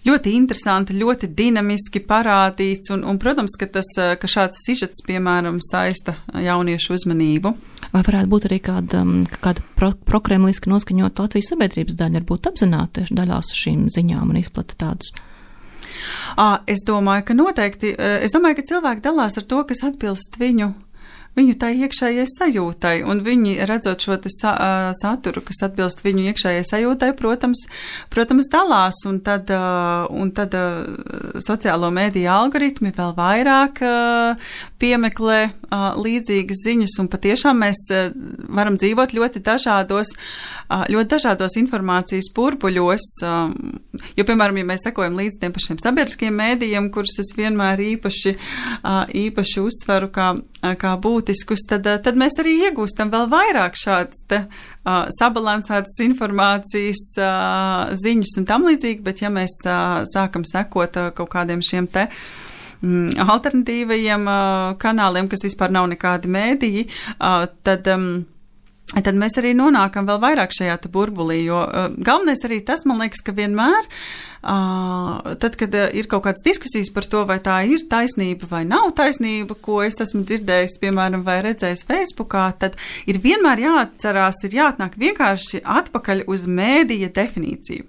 Ļoti interesanti, ļoti dinamiski parādīts, un, un protams, ka, tas, ka šāds sižets, piemēram, saista jauniešu uzmanību. Vai varētu būt arī kāda, kāda pro, prokremliski noskaņot Latvijas sabiedrības daļa, varbūt apzināti daļās šīm ziņām un izplata tādus? Es domāju, ka noteikti, es domāju, ka cilvēki dalās ar to, kas atbilst viņu, viņu tai iekšējai sajūtai, un viņi redzot šo te sa, saturu, kas atbilst viņu iekšējai sajūtai, protams, protams dalās, un tad, un tad sociālo mēdīju algoritmi vēl vairāk piemeklē līdzīgas ziņas, un patiešām mēs varam dzīvot ļoti dažādos, ļoti dažādos informācijas burbuļos, jo, piemēram, ja mēs sekojam līdz tiem pašiem sabiedriskiem mēdījiem, kurus es vienmēr īpaši, īpaši uzsveru kā, kā būtiskus, tad, tad mēs arī iegūstam vēl vairāk šādas te uh, sabalansētas informācijas uh, ziņas un tam līdzīgi, bet ja mēs uh, sākam sekot uh, kaut kādiem šiem te mm, alternatīvajiem uh, kanāliem, kas vispār nav nekādi mēdīji, uh, tad um, tad mēs arī nonākam vēl vairāk šajā te burbulī, jo uh, galvenais arī tas, man liekas, ka vienmēr, uh, tad, kad uh, ir kaut kādas diskusijas par to, vai tā ir taisnība vai nav taisnība, ko es esmu dzirdējis, piemēram, vai redzējis Facebookā, tad ir vienmēr jāatcerās, ir jāatnāk vienkārši atpakaļ uz mēdīja definīciju.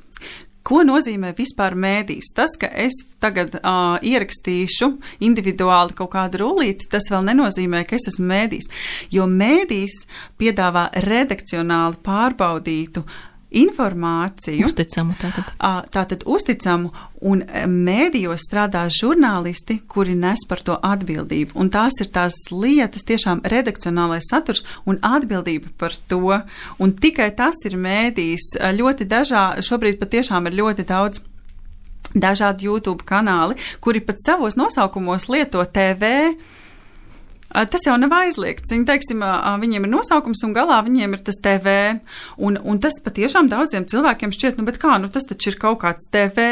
Ko nozīmē vispār mēdījis? Tas, ka es tagad uh, ierakstīšu individuāli kaut kādu rullīti, tas vēl nenozīmē, ka es esmu mēdījis, jo mēdījis piedāvā redakcionāli pārbaudītu informāciju. Uzticamu tātad. Tātad uzticamu, un mēdījos strādā žurnālisti, kuri nes par to atbildību. Un tās ir tās lietas, tiešām redakcionālais saturs un atbildība par to. Un tikai tas ir mēdījis. Ļoti dažā, šobrīd patiešām ir ļoti daudz dažādi YouTube kanāli, kuri pat savos nosaukumos lieto T V. Tas jau nav aizliegts. Viņi, teiksim, viņiem ir nosaukums un galā viņiem ir tas T V. Un, un tas patiešām daudziem cilvēkiem šķiet, nu, bet kā, nu, tas taču ir kaut kāds T V,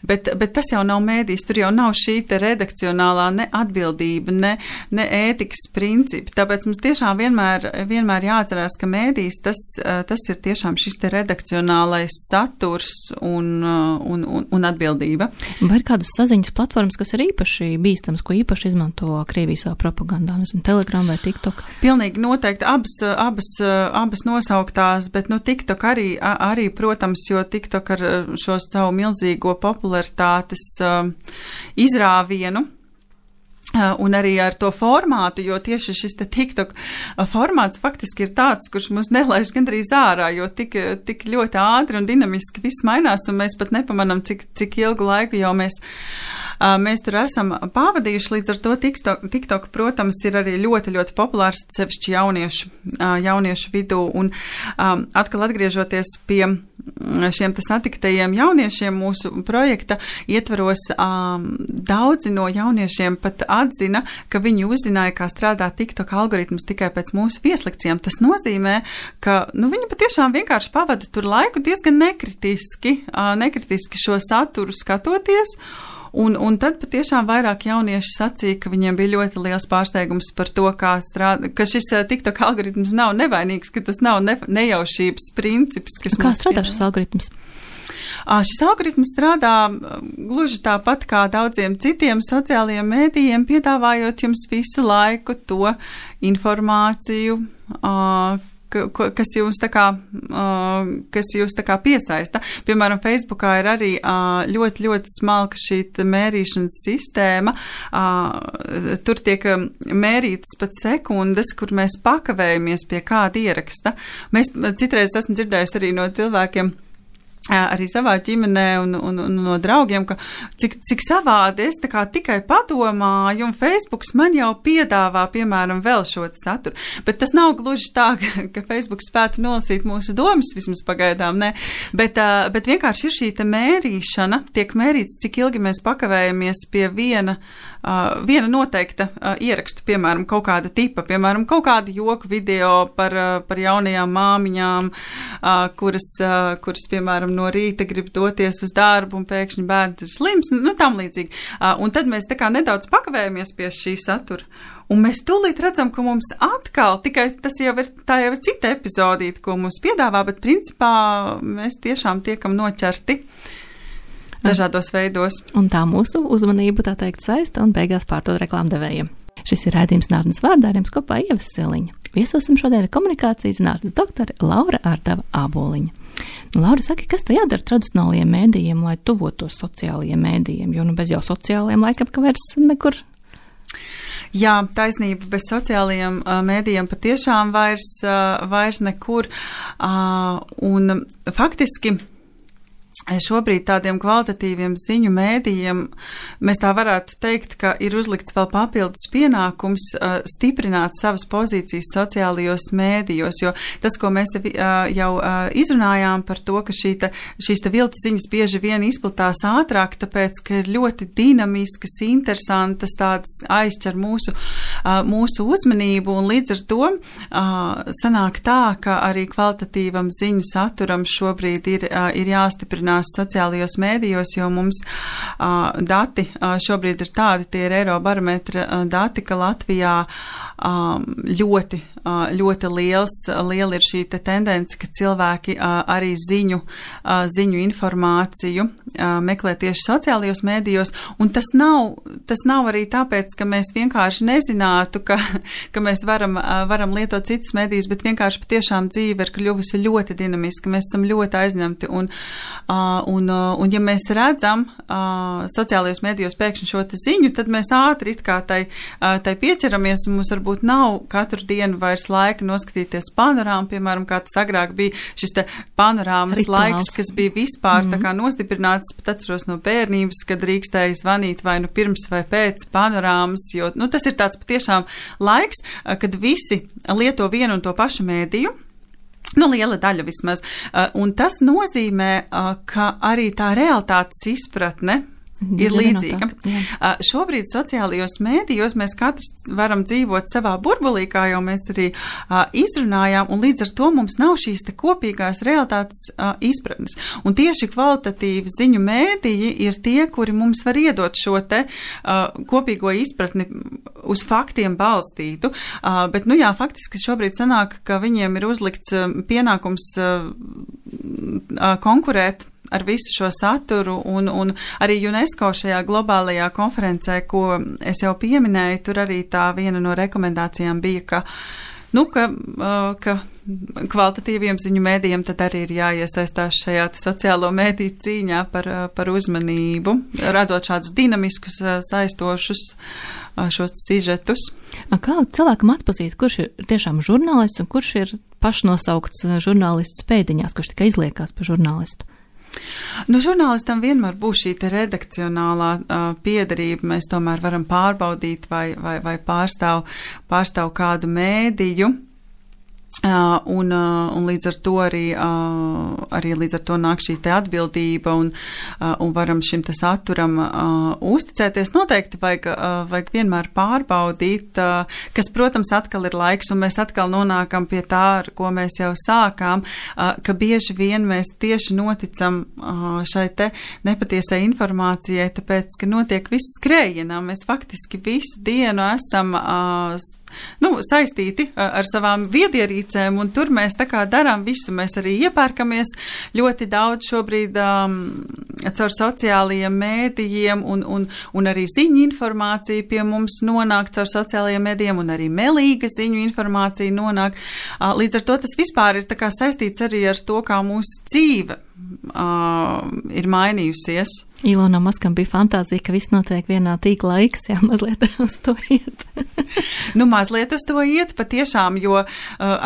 bet, bet tas jau nav mēdījis, tur jau nav šī te redakcionālā ne atbildība, ne, ne ētikas principi. Tāpēc mums tiešām vienmēr, vienmēr jāatcerās, ka mēdījis tas, tas ir tiešām šis te redakcionālais saturs un, un, un, un atbildība. Vai ir kādas saziņas platformas, kas ir īpaši bīstams, ko īpaši izmanto Krievijas savā propagandā? Telegram vai TikTok? Pilnīgi noteikti abas, abas, abas nosauktās, bet nu TikTok arī, arī, protams, jo TikTok ar šo savu milzīgo popularitātes uh, izrāvienu Un arī ar to formātu, jo tieši šis te TikTok formāts faktiski ir tāds, kurš mūs nelaiž gandrīz ārā, jo tik, tik ļoti ātri un dinamiski viss mainās, un mēs pat nepamanam, cik, cik ilgu laiku jau mēs, mēs tur esam pavadījuši. Līdz ar to TikTok, TikTok, protams, ir arī ļoti, ļoti populārs, sevišķi jauniešu, jauniešu vidū. Un atkal atgriežoties pie šiem te satiktajiem jauniešiem mūsu projekta ietvaros, daudzi no jauniešiem pat atzina, ka viņi uzzināja, kā strādā TikTok algoritms tikai pēc mūsu vieslekcijām. Tas nozīmē, ka nu, viņi patiešām vienkārši pavada tur laiku diezgan nekritiski, nekritiski šo saturu skatoties. Un, un tad patiešām vairāk jaunieši sacīja, ka viņiem bija ļoti liels pārsteigums par to, kā strādā, ka šis TikTok algoritms nav nevainīgs, ka tas nav ne, nejaušības princips. Kas kā strādā šis algoritms? Šis algoritms strādā gluži tāpat kā daudziem citiem sociālajiem mēdījiem, piedāvājot jums visu laiku to informāciju, kas jūs tā kā, kas jūs tā kā piesaista. Piemēram, Facebookā ir arī ļoti, ļoti smalka šī mērīšanas sistēma. Tur tiek mērītas pat sekundes, kur mēs pakavējamies pie kāda ieraksta. Mēs citreiz esmu dzirdējusi arī no cilvēkiem, arī savā ģimenē un, un, un no draugiem, ka cik, cik savādi es tā kā tikai padomāju, un Facebooks man jau piedāvā, piemēram, vēl šo saturu. Bet tas nav gluži tā, ka, ka Facebook spētu nolasīt mūsu domas, vismaz pagaidām, ne. Bet, bet vienkārši ir šī te mērīšana, tiek mērīts, cik ilgi mēs pakavējamies pie viena, viena noteikta ierakstu, piemēram, kaut kāda tipa, piemēram, kaut kāda joku video par, par jaunajām māmiņām, kuras, kuras, piemēram, no rīta grib doties uz darbu un pēkšņi bērns ir slims, nu tam līdzīgi. Un tad mēs tā kā nedaudz pakavējamies pie šī satura. Un mēs tūlīt redzam, ka mums atkal, tikai tas jau ir, tā jau ir cita epizodīta, ko mums piedāvā, bet principā mēs tiešām tiekam noķerti dažādos veidos. Un tā mūsu uzmanību, tā teikt, saista un beigās pārdod reklāmdevējiem. Šis ir raidījums Nārdnes vārdā, ar jums kopā Ieva Siliņa. Viesosim šodien komunikācijas zinātnes doktore Laura Ārdava Āboliņa. Nu, Laura, saki, kas te jādara tradicionālajiem mēdījiem, lai tuvotos sociālajiem mēdījiem, jo nu bez jau sociālajiem laikam, ka vairs nekur. Jā, taisnība, bez sociālajiem uh, mēdījiem patiešām vairs, uh, vairs nekur. Uh, un faktiski šobrīd tādiem kvalitatīviem ziņu mēdījiem mēs tā varētu teikt, ka ir uzlikts vēl papildus pienākums uh, stiprināt savas pozīcijas sociālajos mēdījos, jo tas, ko mēs uh, jau uh, izrunājām par to, ka šī te, šīs te viltu ziņas bieži vien izplatās ātrāk, tāpēc, ka ir ļoti dinamiskas, interesantas, tādas aizķer mūsu, uh, mūsu uzmanību, un līdz ar to uh, sanāk tā, ka arī kvalitatīvam ziņu saturam šobrīd ir, uh, ir jāstiprināt sociālajos mēdījos, jo mums uh, dati uh, šobrīd ir tādi, tie ir Eirobarometra uh, dati, ka Latvijā um, ļoti, uh, ļoti liels, liela ir šī te tendence, ka cilvēki uh, arī ziņu, uh, ziņu informāciju uh, meklē tieši sociālajos mēdījos, un tas nav, tas nav arī tāpēc, ka mēs vienkārši nezinātu, ka, ka mēs varam, uh, varam lietot citus mēdījus, bet vienkārši patiešām dzīve ir kļuvusi ļoti dinamiska, mēs esam ļoti aizņemti, un Uh, un, uh, un ja mēs redzam uh, sociālajos mēdījos pēkšņi šo te ziņu, tad mēs ātri it kā tai, uh, tai pieķeramies, un mums varbūt nav katru dienu vairs laika noskatīties panorāmu, piemēram, kā tas agrāk bija šis te panorāmas Rituāls. Laiks, kas bija vispār mm. tā kā nostiprināts, pat atceros no bērnības, kad drīkstēja zvanīt vai nu pirms vai pēc panorāmas, jo nu, tas ir tāds patiešām laiks, uh, kad visi lieto vienu un to pašu mēdīju. Nu, liela daļa vismaz. Uh, un tas nozīmē, uh, ka arī tā realitātes izpratne ir līdzīga. Uh, šobrīd sociālajos mēdījos mēs katrs varam dzīvot savā burbulī, kā jau mēs arī uh, izrunājām, un līdz ar to mums nav šīs te kopīgās realitātes uh, izpratnes. Un tieši kvalitatīvi ziņu mēdīji ir tie, kuri mums var iedot šo te uh, kopīgo izpratni uz faktiem balstītu, uh, bet, nu jā, faktiski šobrīd sanāk, ka viņiem ir uzlikts uh, pienākums uh, uh, konkurēt ar visu šo saturu, un, un arī UNESCO šajā globālajā konferencē, ko es jau pieminēju, tur arī tā viena no rekomendācijām bija, ka nu, ka, ka kvalitatīviem ziņu mēdījiem tad arī ir jāiesaistās šajā sociālo mēdīju cīņā par, par uzmanību, radot šādus dinamiskus, saistošus šos sižetus. Kā cilvēkam atpazīt, kurš ir tiešām žurnālists un kurš ir pašnosaukts žurnālists pēdiņās, kurš tikai izliekās par žurnālistu? Nu, žurnālistam vienmēr būs šī te redakcionālā uh, piederība. Mēs tomēr varam pārbaudīt, vai, vai, vai pārstāv, pārstāv kādu mēdīju. Uh, un, uh, un līdz ar to arī, uh, arī līdz ar to nāk šī te atbildība un, uh, un varam šim te saturam uh, uzticēties. Noteikti vajag, uh, vajag vienmēr pārbaudīt, uh, kas, protams, atkal ir laiks, un mēs atkal nonākam pie tā, ar ko mēs jau sākām, uh, ka bieži vien mēs tieši noticam uh, šai te nepatiesai informācijai, tāpēc, ka notiek viss skrējienā. Mēs faktiski visu dienu esam uh, nu, saistīti ar savām viedierīcēm, un tur mēs tā kā darām visu. Mēs arī iepērkamies ļoti daudz šobrīd um, caur sociālajiem mēdījiem, un, un, un arī ziņu informācija pie mums nonāk caur sociālajiem mēdījiem, un arī melīga ziņu informācija nonāk. Uh, līdz ar to tas vispār ir tā kā saistīts arī ar to, kā mūsu dzīve uh, ir mainījusies. Ilonam Maskam bija fantāzija, ka viss notiek vienā tīkla laiks, jā, mazliet uz to iet. Nu, mazliet uz to iet, patiešām, jo uh,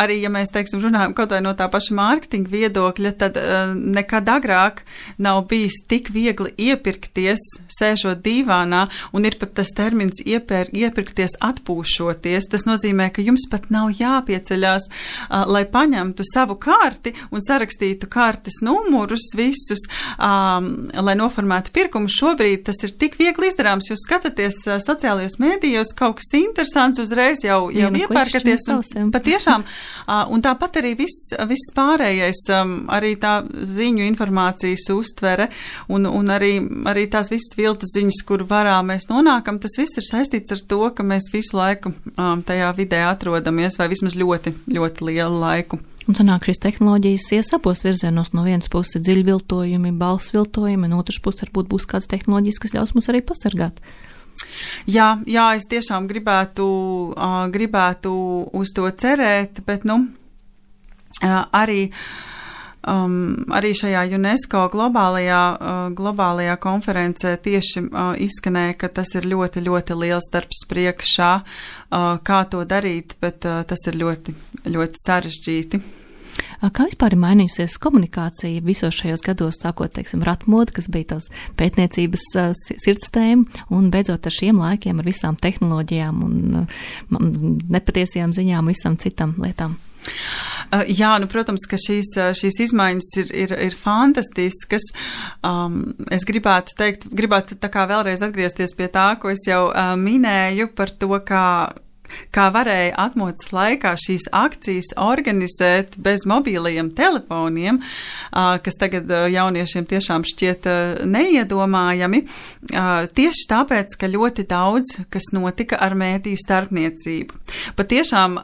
arī, ja mēs, teiksim, runājam kaut vai no tā paša mārketinga viedokļa, tad uh, nekad agrāk nav bijis tik viegli iepirkties, sēžot dīvānā, un ir pat tas termins iepēr, iepirkties atpūšoties. Tas nozīmē, ka jums pat nav jāpieceļās, uh, lai paņemtu savu karti un sarakstītu kartes numurus visus, um, lai noformētu pirkumu. Šobrīd tas ir tik viegli izdarāms. Jūs skatāties uh, sociālajos mēdījos, kaut kas interesants, uzreiz jau, jau iepērkaties. Un, patiešām, uh, un tāpat arī viss, viss pārējais, um, arī tā ziņu informācijas uztvere un, un arī, arī tās visas viltus ziņas, kur varā mēs nonākam, tas viss ir saistīts ar to, ka mēs visu laiku um, tajā vidē atrodamies, vai vismaz ļoti, ļoti lielu laiku. Un sanāk, šīs tehnoloģijas ies abos virzienos. No vienas puses dziļviltojumi, balss viltojumi, no otras puses varbūt būs kādas tehnoloģijas, kas ļaus mums arī pasargāt. Jā, jā, es tiešām gribētu, uh, gribētu uz to cerēt, bet, nu, uh, arī, um, arī šajā UNESCO globālajā, uh, globālajā konferencē tieši uh, izskanēja, ka tas ir ļoti, ļoti liels darbs priekšā, uh, kā to darīt, bet uh, tas ir ļoti, ļoti sarežģīti. Kā vispār ir mainījusies komunikācija visos šajos gados, sākot, teiksim, ratmoda, kas bija tās pētniecības uh, sirds tēma, un beidzot ar šiem laikiem, ar visām tehnoloģijām un uh, nepatiesajām ziņām un visam citam lietām? Uh, jā, nu, protams, ka šīs, šīs izmaiņas ir, ir, ir fantastiskas. Um, es gribētu teikt, gribētu tā kā vēlreiz atgriezties pie tā, ko es jau uh, minēju par to, kā kā varēja atmodas laikā šīs akcijas organizēt bez mobīlajiem telefoniem, kas tagad jauniešiem tiešām šķiet neiedomājami, tieši tāpēc, ka ļoti daudz, kas notika ar mēdīju starpniecību. Patiešām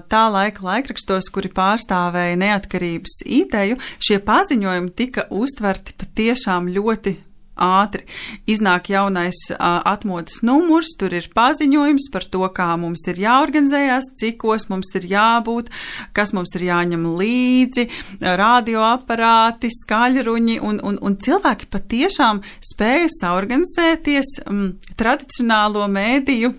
tā laika laikrakstos, kuri pārstāvēja neatkarības ideju, šie paziņojumi tika uztverti patiešām ļoti ātri. Iznāk jaunais uh, atmodas numurs, tur ir paziņojums par to, kā mums ir jāorganizējās, cikos mums ir jābūt, kas mums ir jāņem līdzi, radioaparāti, skaļruņi, un, un, un cilvēki patiešām spēja saorganizēties um, tradicionālo mēdīju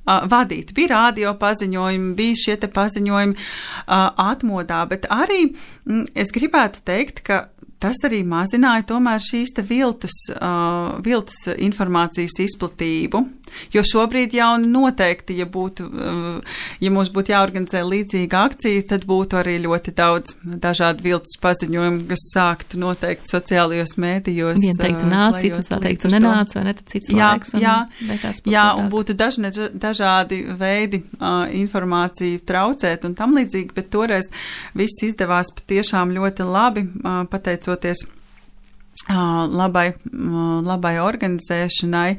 Uh, vadīt. Bija radio paziņojumi, bija šie te paziņojumi uh, atmodā, bet arī mm, es gribētu teikt, ka tas arī mazināja tomēr šīs te viltus, uh, viltus informācijas izplatību, jo šobrīd jau noteikti, ja būtu, uh, ja mums būtu jāorganizē līdzīga akcija, tad būtu arī ļoti daudz dažādu viltus paziņojumu, kas sāktu noteikti sociālajos mēdījos. Vien teiktu nāc, citas vēl teiktu nenāc, vai ne, tad cits jā, laiks. Un jā, jā, un tādu. būtu dažne, dažādi veidi uh, informāciju traucēt un tam līdzīgi, bet toreiz viss izdevās patiešām ļoti labi, uh, pateicoties uh, labai, uh, labai organizēšanai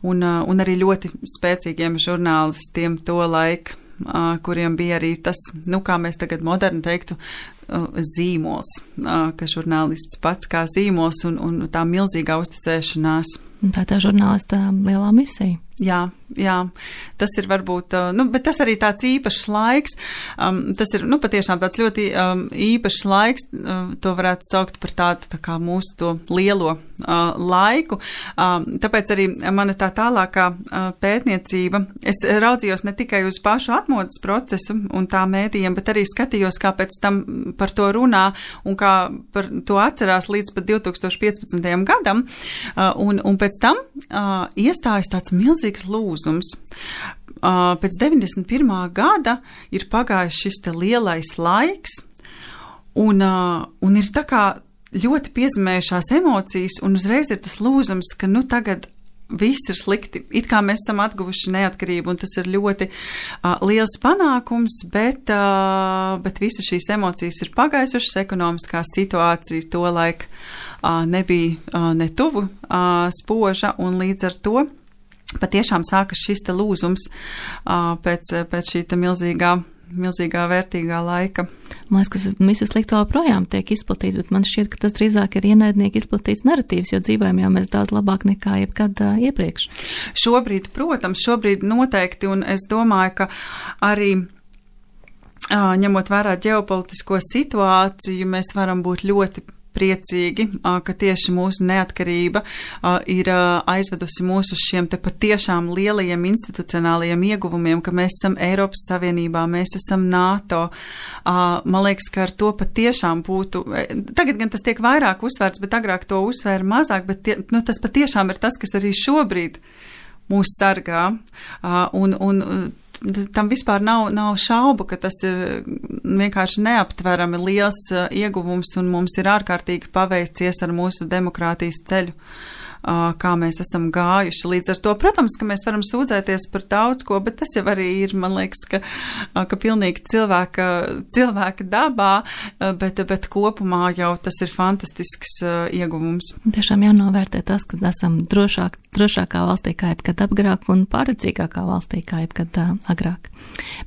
un, uh, un arī ļoti spēcīgiem žurnālistiem to laiku, uh, kuriem bija arī tas, nu kā mēs tagad moderni teiktu, uh, zīmols, uh, ka žurnālists pats kā zīmols un, un tā milzīgā uzticēšanās. Tā tā žurnālista lielā misija. Jā, jā, tas ir varbūt, nu, bet tas arī tāds īpašs laiks, um, tas ir, nu, patiešām tāds ļoti um, īpašs laiks, uh, to varētu saukt par tādu, tā kā mūsu to lielo uh, laiku, um, tāpēc arī mana tā tālākā uh, pētniecība, es raudzījos ne tikai uz pašu atmodas procesu un tā mēdījiem, bet arī skatījos, kā pēc tam par to runā un kā par to atcerās līdz pat divtūkstoš piecpadsmitajam gadam, uh, un, un pēc tam uh, iestājas tāds milzīgs lūzums. Uh, pēc deviņdesmit pirmā gada ir pagājis šis te lielais laiks, un, uh, un ir tā kā ļoti piezemējušās emocijas, un uzreiz ir tas lūzums, ka nu tagad viss ir slikti. It kā mēs esam atguvuši neatkarību, un tas ir ļoti uh, liels panākums, bet, uh, bet visas šīs emocijas ir pagaisušas, ekonomiskā situācija to laik uh, nebija uh, ne tuvu uh, spoža, un līdz ar to patiešām sākas šis te lūzums uh, pēc, pēc šī te milzīgā, milzīgā vērtīgā laika. Man liekas, ka visas slikto projām tiek izplatīts, bet man šķiet, ka tas drīzāk ir ienaidnieki izplatīts narratīvs, jo dzīvojam jau mēs daudz labāk nekā jebkad uh, iepriekš. Šobrīd, protams, šobrīd noteikti, un es domāju, ka arī uh, ņemot vērā ģeopolitisko situāciju, mēs varam būt ļoti priecīgi, ka tieši mūsu neatkarība ir aizvedusi mūs uz šiem te patiešām lielajiem institucionālajiem ieguvumiem, ka mēs esam Eiropas Savienībā, mēs esam NATO. Man liekas, ka ar to patiešām būtu, tagad gan tas tiek vairāk uzsvērts, bet agrāk to uzsvēra mazāk, bet tie, nu, tas patiešām ir tas, kas arī šobrīd mūs sargā. Un, un tam vispār nav, nav šaubu, ka tas ir vienkārši neaptverami liels uh, ieguvums, un mums ir ārkārtīgi paveicies ar mūsu demokrātijas ceļu, uh, kā mēs esam gājuši. Līdz ar to, protams, ka mēs varam sūdzēties par daudz ko, bet tas jau arī ir, man liekas, ka, uh, ka pilnīgi cilvēka, cilvēka dabā, uh, bet, bet kopumā jau tas ir fantastisks uh, ieguvums. Tiešām jānovērtē tas, ka esam drošāk, drošākā valstī kā jebkad apgrāk un pārredzīgākā valstī kā jebkad uh, agrāk.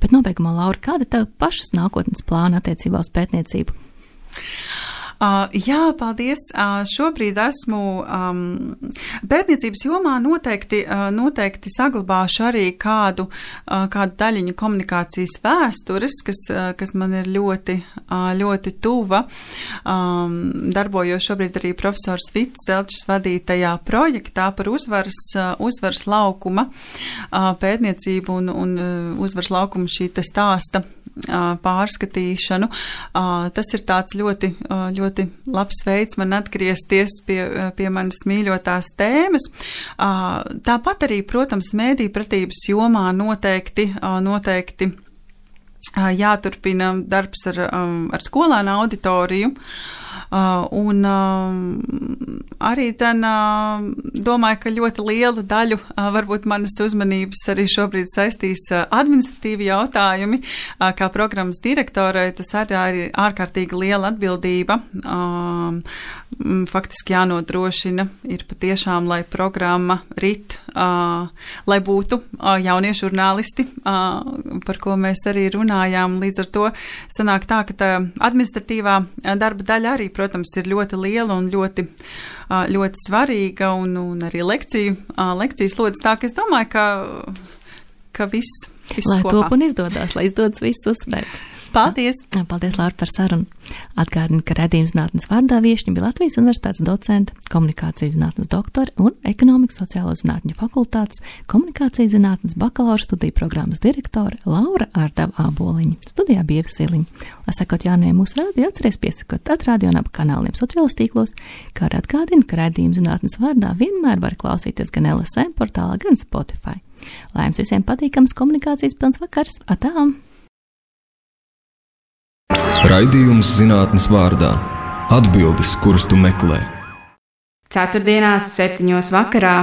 Bet nobeigumā, Laura, kāda tev pašas nākotnes plāna attiecībā uz pētniecību? Uh, jā, paldies. Uh, šobrīd esmu um, pētniecības jomā noteikti, uh, noteikti saglabāšu arī kādu, uh, kādu daļiņu komunikācijas vēstures, kas, uh, kas man ir ļoti, uh, ļoti tuva. Um, darbojos šobrīd arī profesors Vits Zelčs vadītajā projektā par uzvaras, uh, uzvaras laukuma uh, pētniecību un, un uh, uzvaras laukuma šī te stāsta uh, pārskatīšanu. Uh, tas ir tāds ļoti, uh, ļoti ļoti labs veids man atgriezties pie, pie manas mīļotās tēmas. Tāpat arī, protams, mēdīju pratības jomā noteikti, noteikti jāturpina darbs ar, ar skolēnu auditoriju. Uh, un uh, arī dzen, uh, domāju, ka ļoti lielu daļu uh, varbūt manas uzmanības arī šobrīd saistīs uh, administratīvi jautājumi, uh, kā programmas direktorai, tas arī ir ārkārtīgi liela atbildība. Uh, faktiski jānodrošina ir patiešām, lai programma rit, uh, lai būtu uh, jaunie žurnālisti, uh, par ko mēs arī runājām. Līdz ar to sanāk tā, ka tā administratīvā darba daļa arī, protams, ir ļoti liela un ļoti, ļoti svarīga, un, un arī lekciju, lekcijas lodas tā, ka es domāju, ka, ka viss, viss lai kopā. Top un izdodas, lai izdodas viss uzspēt. Paldies! Paldies, Laura, par sarunu. Atgādinu, ka redzījuma zinātnes vārdā viešņa bija Latvijas Universitātes docente, komunikācijas zinātnes doktori un ekonomikas sociālo zinātņu fakultātes komunikācijas zinātnes bakalaura studiju programmas direktore Laura Ārdava Āboliņa. Studijā bija Ieva Siliņa. Lai sakot jaunajiem mūsu rādio, atceries piesakot atrādio un ap kanāliem sociālos tīklos, kā arī atgādinu, ka redzījuma zinātnes vārdā vienmēr var klausīties gan L S M portālā, gan Spotify. Lai jums visiem patīkams komunikācijas pilns vakars. Atām! Raidījums zinātnes vārdā. Atbildes, kuras tu meklē. Ceturtdienās septiņos vakarā